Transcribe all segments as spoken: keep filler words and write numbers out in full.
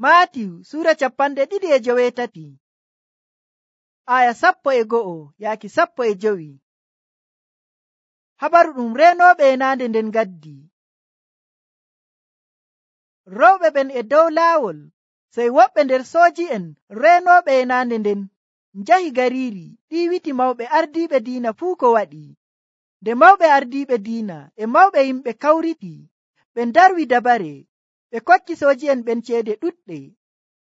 Maatiyu Sura capanɗe ɗiɗi e joweetati aya sappo e go'o yaaki sappo e jowi. Habaru ɗum reenooɓe yenaande nden gaddi. Rewɓe ɓen e dow laawol, sey woɓɓe nder sooji'en reenooɓe yenaande nden njahi gariiri ɗiiwiti mawɓe ardiiɓe diina fuu ko waɗi. Nde mawɓe ardiiɓe diina e mawɓe yimɓe kawriti, ɓe ndarwi dabare, ɓe kokki sooji'en ɓen ceede ɗuɗɗe.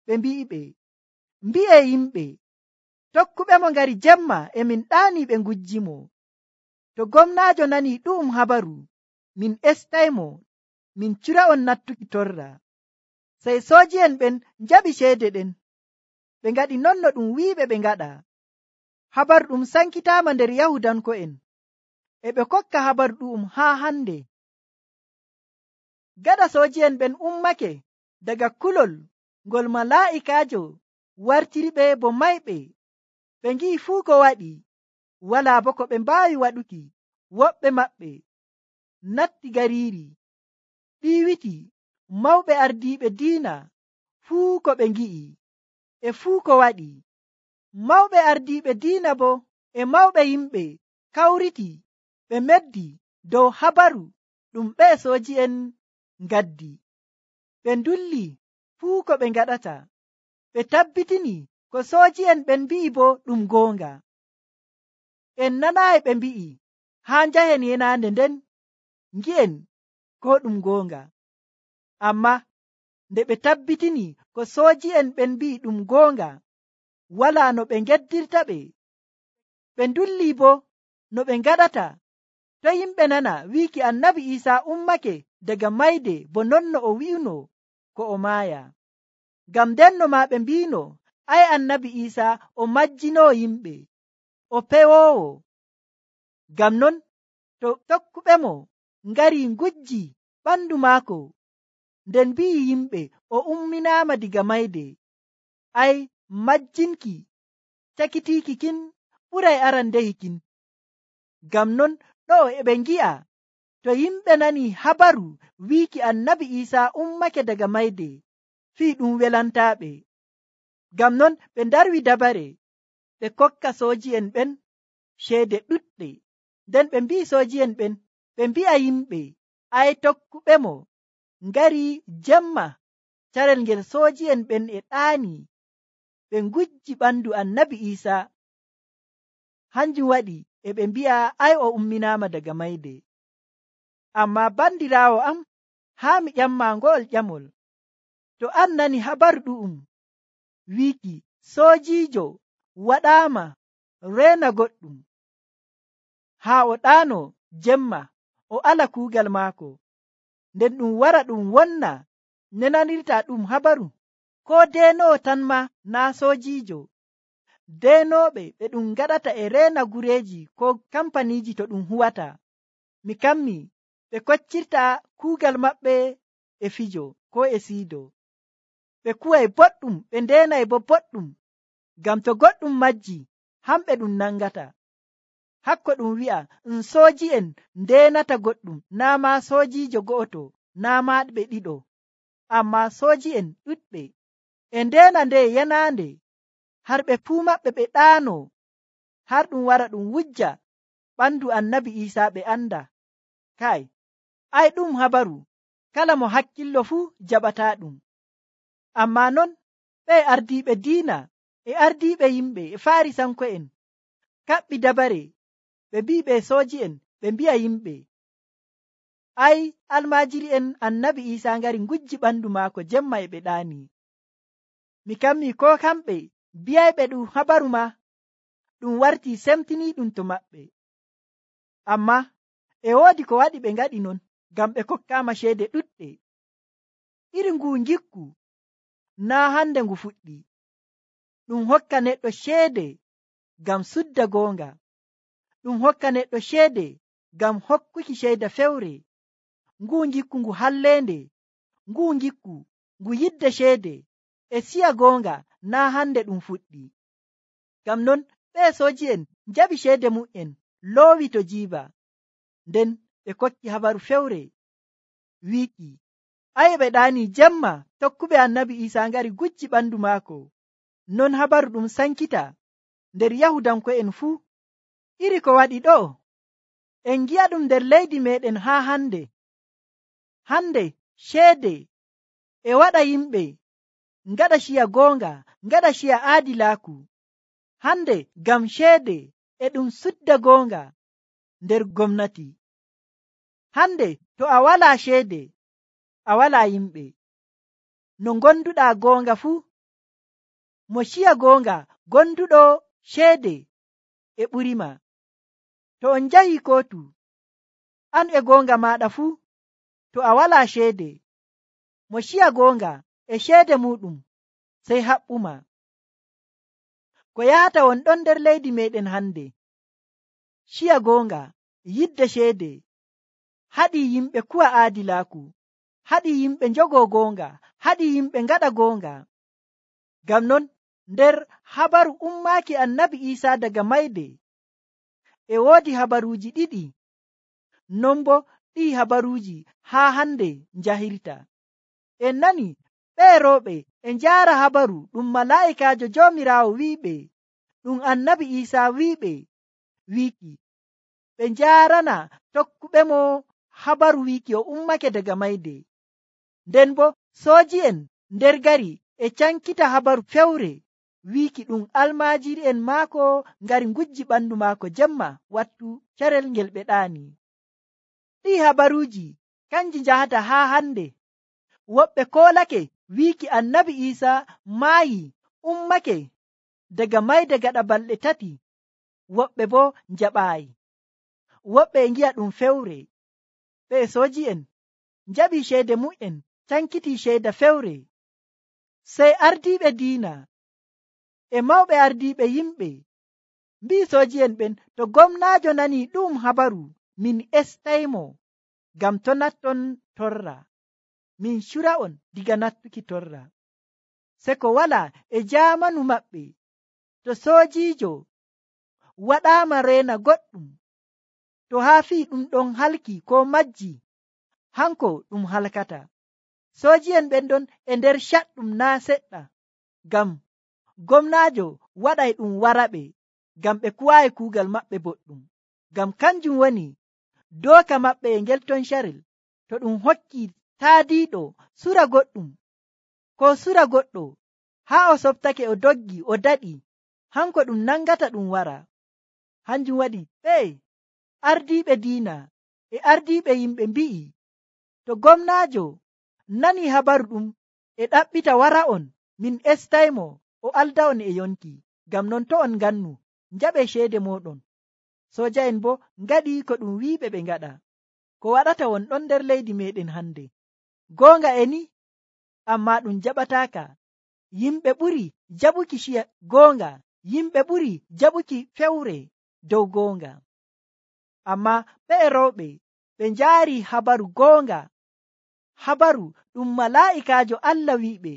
Ɓe mbi'iɓe, mbi'ee yimɓe, tokkuɓemo ngari jemma e min ɗaanii ɓe ngujjimo. To gomnaajo nanii ɗu'um habaru, min estaymo, min cura'on nattuki torra. Sey sooji'en ɓen njaɓi ceede ɗen, ɓe ngaɗi non no ɗum wi'iɓe ɓe ngaɗa. Habaru ɗum sankitaama nder Yahudanko'en, e ɓe kokka habaru ɗu'um haa hande. Gaɗa sooji'en ɓen ummake daga kulol ngol malaa'ikaajo wartiriɓe bo mayɓe, ɓe ngi'i fuu ko waɗi, walaa bo ko ɓe mbaawi waɗuki. Woɓɓe maɓɓe natti gariiri, ɗiiwiti mawɓe ardiiɓe diina fuu ko ɓe ngi'i e fuu ko waɗi. Mawɓe ardiiɓe diina bo e mawɓe yimɓe kawriti, ɓe meddi dow habaru ɗum ɓe sooji'en ngaddi. Ɓe ndulli fuu ko ɓe ngaɗata, ɓe tabbitini ko sooji'en ɓen mbi'i bo ɗum goonga. En nanaayi ɓe mbi'i, haa njahen yenaande nden ngi'en ko ɗum goonga. Amma nde ɓe tabbitini ko sooji'en ɓen mbi'i ɗum goonga, walaa no ɓe ngeddirta ɓe. Ɓe ndulli bo no ɓe ngaɗata to yimɓe nana wiiki Annabi Iisaa ummake daga mayde bo non no o wi'uno ko o maaya. Ngam ndenno maa ɓe mbiino, ay Annabi Iisaa o majjinoo yimɓe, o pewoowo. Ngam non to tokkuɓemo ngari ngujji ɓandu maako, nden mbi'i yimɓe o umminaama diga mayde, ay majjinki cakitiiki kin ɓuray arandehi kin. Ngam non ɗo e ɓe ngi'a to yimɓe nani habaru wiiki Annabi Iisaa ummake daga mayde, fii ɗum welantaaɓe. Ngam non ɓe ndarwi dabare, ɓe kokka sooji'en ɓen ceede ɗuɗɗe. Nden ɓe mbi'i sooji'en ɓen, ɓe mbi'a yimɓe, ay tokkuɓemo ngari jemma carel ngel sooji'en ɓen e ɗaani ɓe ngujji ɓandu Annabi Iisaa. Hanjum waɗi e ɓe mbi'a ay o umminaama daga mayde. Amma bandiraawo am, haa mi ƴamma ngo'ol ƴamol. To an nani habaru ɗu'um wiiki soojiijo waɗaama reena goɗɗum, haa o ɗaano jemma o ala kuugal maako, nden ɗum wara ɗum wonna nenanirta ɗum habaru, ko deenoowo tan ma naa soojiijo. Deenooɓe ɓe ɗum ngaɗata e reena gureeji ko kampaniiji to ɗum huwata, mi kammi ɓe koccirta kuugal maɓɓe e fijo ko e siido. Ɓe kuway boɗɗum, ɓe ndeenay bo boɗɗum, ngam to goɗɗum majji hamɓe ɗum nangata. Hakko ɗum wi'a um sooji'en ndeenata goɗɗum, naa ma soojiijo go'oto, naa ma ɓe ɗiɗo, amma sooji'en ɗuɗɓe e ndeena nde yenaande, har ɓe fuu maɓɓe ɓe ɗaano, har ɗum wara ɗum wujja ɓandu Annabi Iisaa ɓe anda. Kai, ay ɗum habaru kala mo hakkillo fuu jaɓata ɗum. Amma non ɓe ardiiɓe diina e ardiiɓe yimɓe e Faarisanko'en kaɓɓi dabare, ɓe mbi'i ɓe sooji'en, ɓe mbi'a yimɓe, ay almaajiri'en Annabi Iisaa ngari ngujji ɓandu maako jemma e ɓe ɗaani. Mi kammi ko kamɓe biyayɓe ɗum habaru ma ɗum warti semtiniiɗum to maɓɓe. Amma e woodi ko waɗi ɓe ngaɗi non, ngam ɓe kokkaama ceede ɗuɗɗe. Iri ngu ngikku naa hande ngu fuɗɗi. Ɗum hokka neɗɗo ceede ngam sudda goonga, ɗum hokka neɗɗo ceede ngam hokkuki ceeda fewre. Ngu ngikku ngu halleende, ngu ngikku ngu yidde ceede e siya goonga naa hande ɗum fuɗɗi. Ngam non ɓe sooji'en njaɓi ceede mu'en loowi to jiiba, nden ɓe kokki habaru fewre wiiki Ayi ɓe ɗaani jemma tokkuɓe annabi Isa ngari gujji ɓandu maako. Non habaru ɗum sankita nder Yahudanko'en fuu. Iri ko waɗi ɗo, en gi'a ɗum nder leydi meɗen haa hande. Hande ceede e waɗa yimɓe ngaɗa ciya goonga, ngaɗa ciya aadilaaku. Hande ngam ceede e ɗum sudda goonga nder gomnati. Hande to a walaa ceede, a walaa yimɓe. No gonduɗaa goonga fuu, mo ciya goonga gonduɗo ceede e ɓurima. To on njahi kootu, an e goonga maaɗa fuu, to a walaa ceede, mo ciya goonga e ceede muɗum sey haɓɓuma. Ko yahata won ɗon nder leydi meɗen hande, ciya goonga, yidde ceede, haɗi yimɓe kuwa aadilaaku, haɗi yimɓe njogo goonga, haɗi yimɓe ngaɗa goonga. Ngam non nder habaru ummaaki annabi Isa daga mayde e woodi habaruuji ɗiɗi, non bo ɗi habaruuji haa hande njahirta. En nani ɓee rewɓe e njaara habaru ɗum malaa'ikaajo Joomiraawo wi'iɓe, ɗum annabi Isa wi'iɓe wiiki, ɓe njaarana tokkuɓe mo habaru wiiki o ummake daga mayde. Nden bo sooji'en nder gari e cankita habaru fewre wiiki ɗum almaajiri'en maako ngari ngujji ɓandu maako jemma wattu carel ngel ɓe ɗaani. Ɗi habaruuji kanji njahata haa hande. Woɓɓe koolake wiiki annabi Isa maayi ummake daga mayde gaɗa balɗe tati, woɓɓe bo njaɓaayi. Woɓɓe e ngi'a ɗum fewre. Ɓe sooji'en njaɓi ceede mu'en cankiti ceeda fewre. Sey ardiiɓe diina e mawɓe ardiiɓe yimɓe mbi'i sooji'en ɓen, to gomnaajo nani ɗum habaru, min estaymo ngam to natton torra, min cura'on diga nattuki torra. Se ko wala e jaamanu maɓɓe, to soojiijo waɗaama reena goɗɗum, to haa fii ɗum ɗon halki ko majji, hanko ɗum halkata. Sooji'en ɓen ɗon e nder caɗɗum naa seɗɗa, ngam gomnaajo waɗay ɗum waraɓe, ngam ɓe kuwaayi kuugal maɓɓe boɗɗum. Ngam kanjum woni dooka maɓɓe e ngel ton carel. To ɗum hokki taadiiɗo sura goɗɗum, ko sura goɗɗo haa o softake o doggi o daɗi, hanko ɗum nangata ɗum wara. Hanjum waɗi ɓe ardiiɓe diina e ardiiɓe yimɓe mbi'i, to gomnaajo nani habaru ɗum e ɗaɓɓita wara on, min estaymo o alda on e yonki. Ngam non to on ngannu njaɓe ceede moɗon. Sooja'en bo ngaɗi ko ɗum wiiɓe ɓe ngaɗa. Ko waɗata won ɗon nder leydi meɗen hande, goonga e ni, amma ɗum jaɓataaka. Yimɓe ɓuri jaɓuki ciya goonga, yimɓe ɓuri jaɓuki fewre dow goonga. Amma ɓe rewɓe ɓe njaari habaru goonga, habaru ɗum malaa'ikaajo Allah wi'iɓe,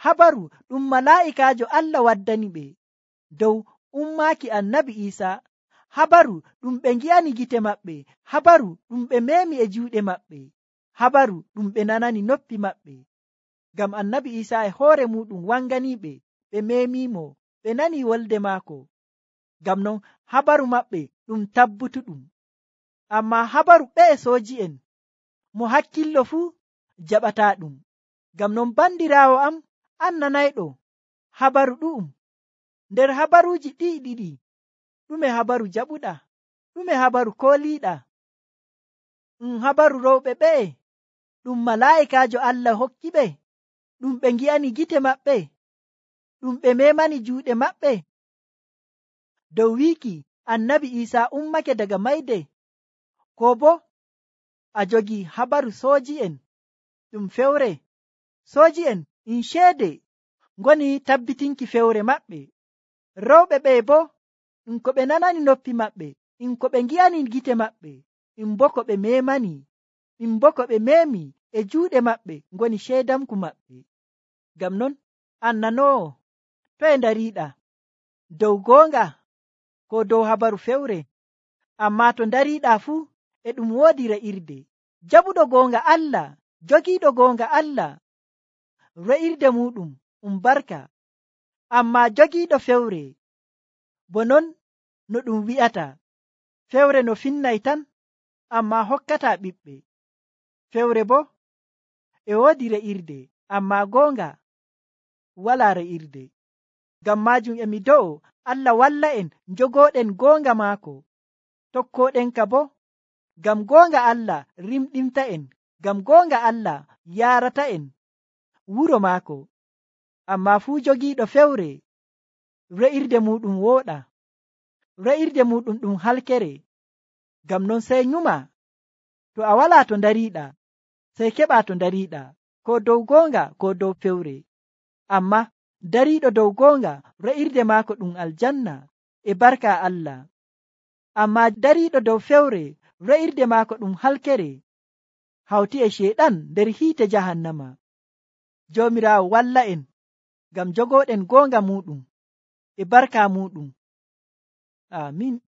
habaru ɗum malaa'ikaajo Allah waddani ɓe dow ummaaki annabi Isa, habaru ɗum ɓe ngi'ani gite maɓɓe, habaru ɗum ɓe memi e juuɗe maɓɓe, habaru ɗum ɓe nanani noppi maɓɓe. Ngam annabi Isa e hoore muɗum wanganiɓe, ɓe memimo, ɓe nani wolde maako. Ngam non habaru maɓɓe ɗum tabbutuɗum. Amma habaru ɓe sooji'en mo hakkillo fuu jaɓata ɗum. Ngam non bandiraawo am, an nanayɗo habaru ɗu'um. Nder habaruuji ɗi ɗiɗi, ɗume habaru jaɓuɗa? Ɗume habaru kooliiɗa? Ɗum habaru rewɓe ɓe ɗum malaa'ikaajo Allah hokki ɓe, ɗum ɓe ngi'ani gite maɓɓe, ɗum ɓe memani juuɗe maɓɓe, dow wiiki annabi Isa ummake daga mayde? Ko bo a jogi habaru sooji'en ɗum fewre? Sooji'en in ceede ngoni tabbitinki fewre maɓɓe. Rewɓe ɓe bo in ko ɓe nanani noppi maɓɓe, in ko ɓe ngi'ani gite maɓɓe, in bo ko ɓe memani, in bo ko ɓe memi e juuɗe maɓɓe ngoni ceedamku maɓɓe. Ngam non an nanoowo, to e ndariiɗa, dow goonga ko dow habaru fewre? Amma to ndariiɗa fuu e ɗum woodi re'irde. Jaɓuɗo goonga Allah jogiiɗo goonga Allah re'irde muɗum um barka, amma jogiiɗo fewre bo non no ɗum wi'ata, fewre no finnay tan amma hokkata ɓiɓɓe. Fewre bo e woodi re'irde amma goonga wala re'irde. Ngam majum e mi do'o Allah walla en jogooɗen goonga maako, tokkoɗenka bo ngam goonga Allah rimɗinta en, ngam goonga Allah yarata en wuro maako. Amma fuu jogiiɗo fewre re'irde muɗum wooɗa, re'irde muɗum ɗum halkere. Ngam non sey nyuma, to a wala to dariiɗa sey keɓa to dariiɗa, ko dow goonga ko dow fewre. Amma dariiɗo dow goonga re'irde maako ɗum aljanna e barka Allah, amma dariiɗo dow fewre re'irde maako ɗum halkere hawti e sheeɗan nder hiite jahannama. Joomiraawo walla en ngam jogooɗen goonga muɗum e barka muɗum. Amin.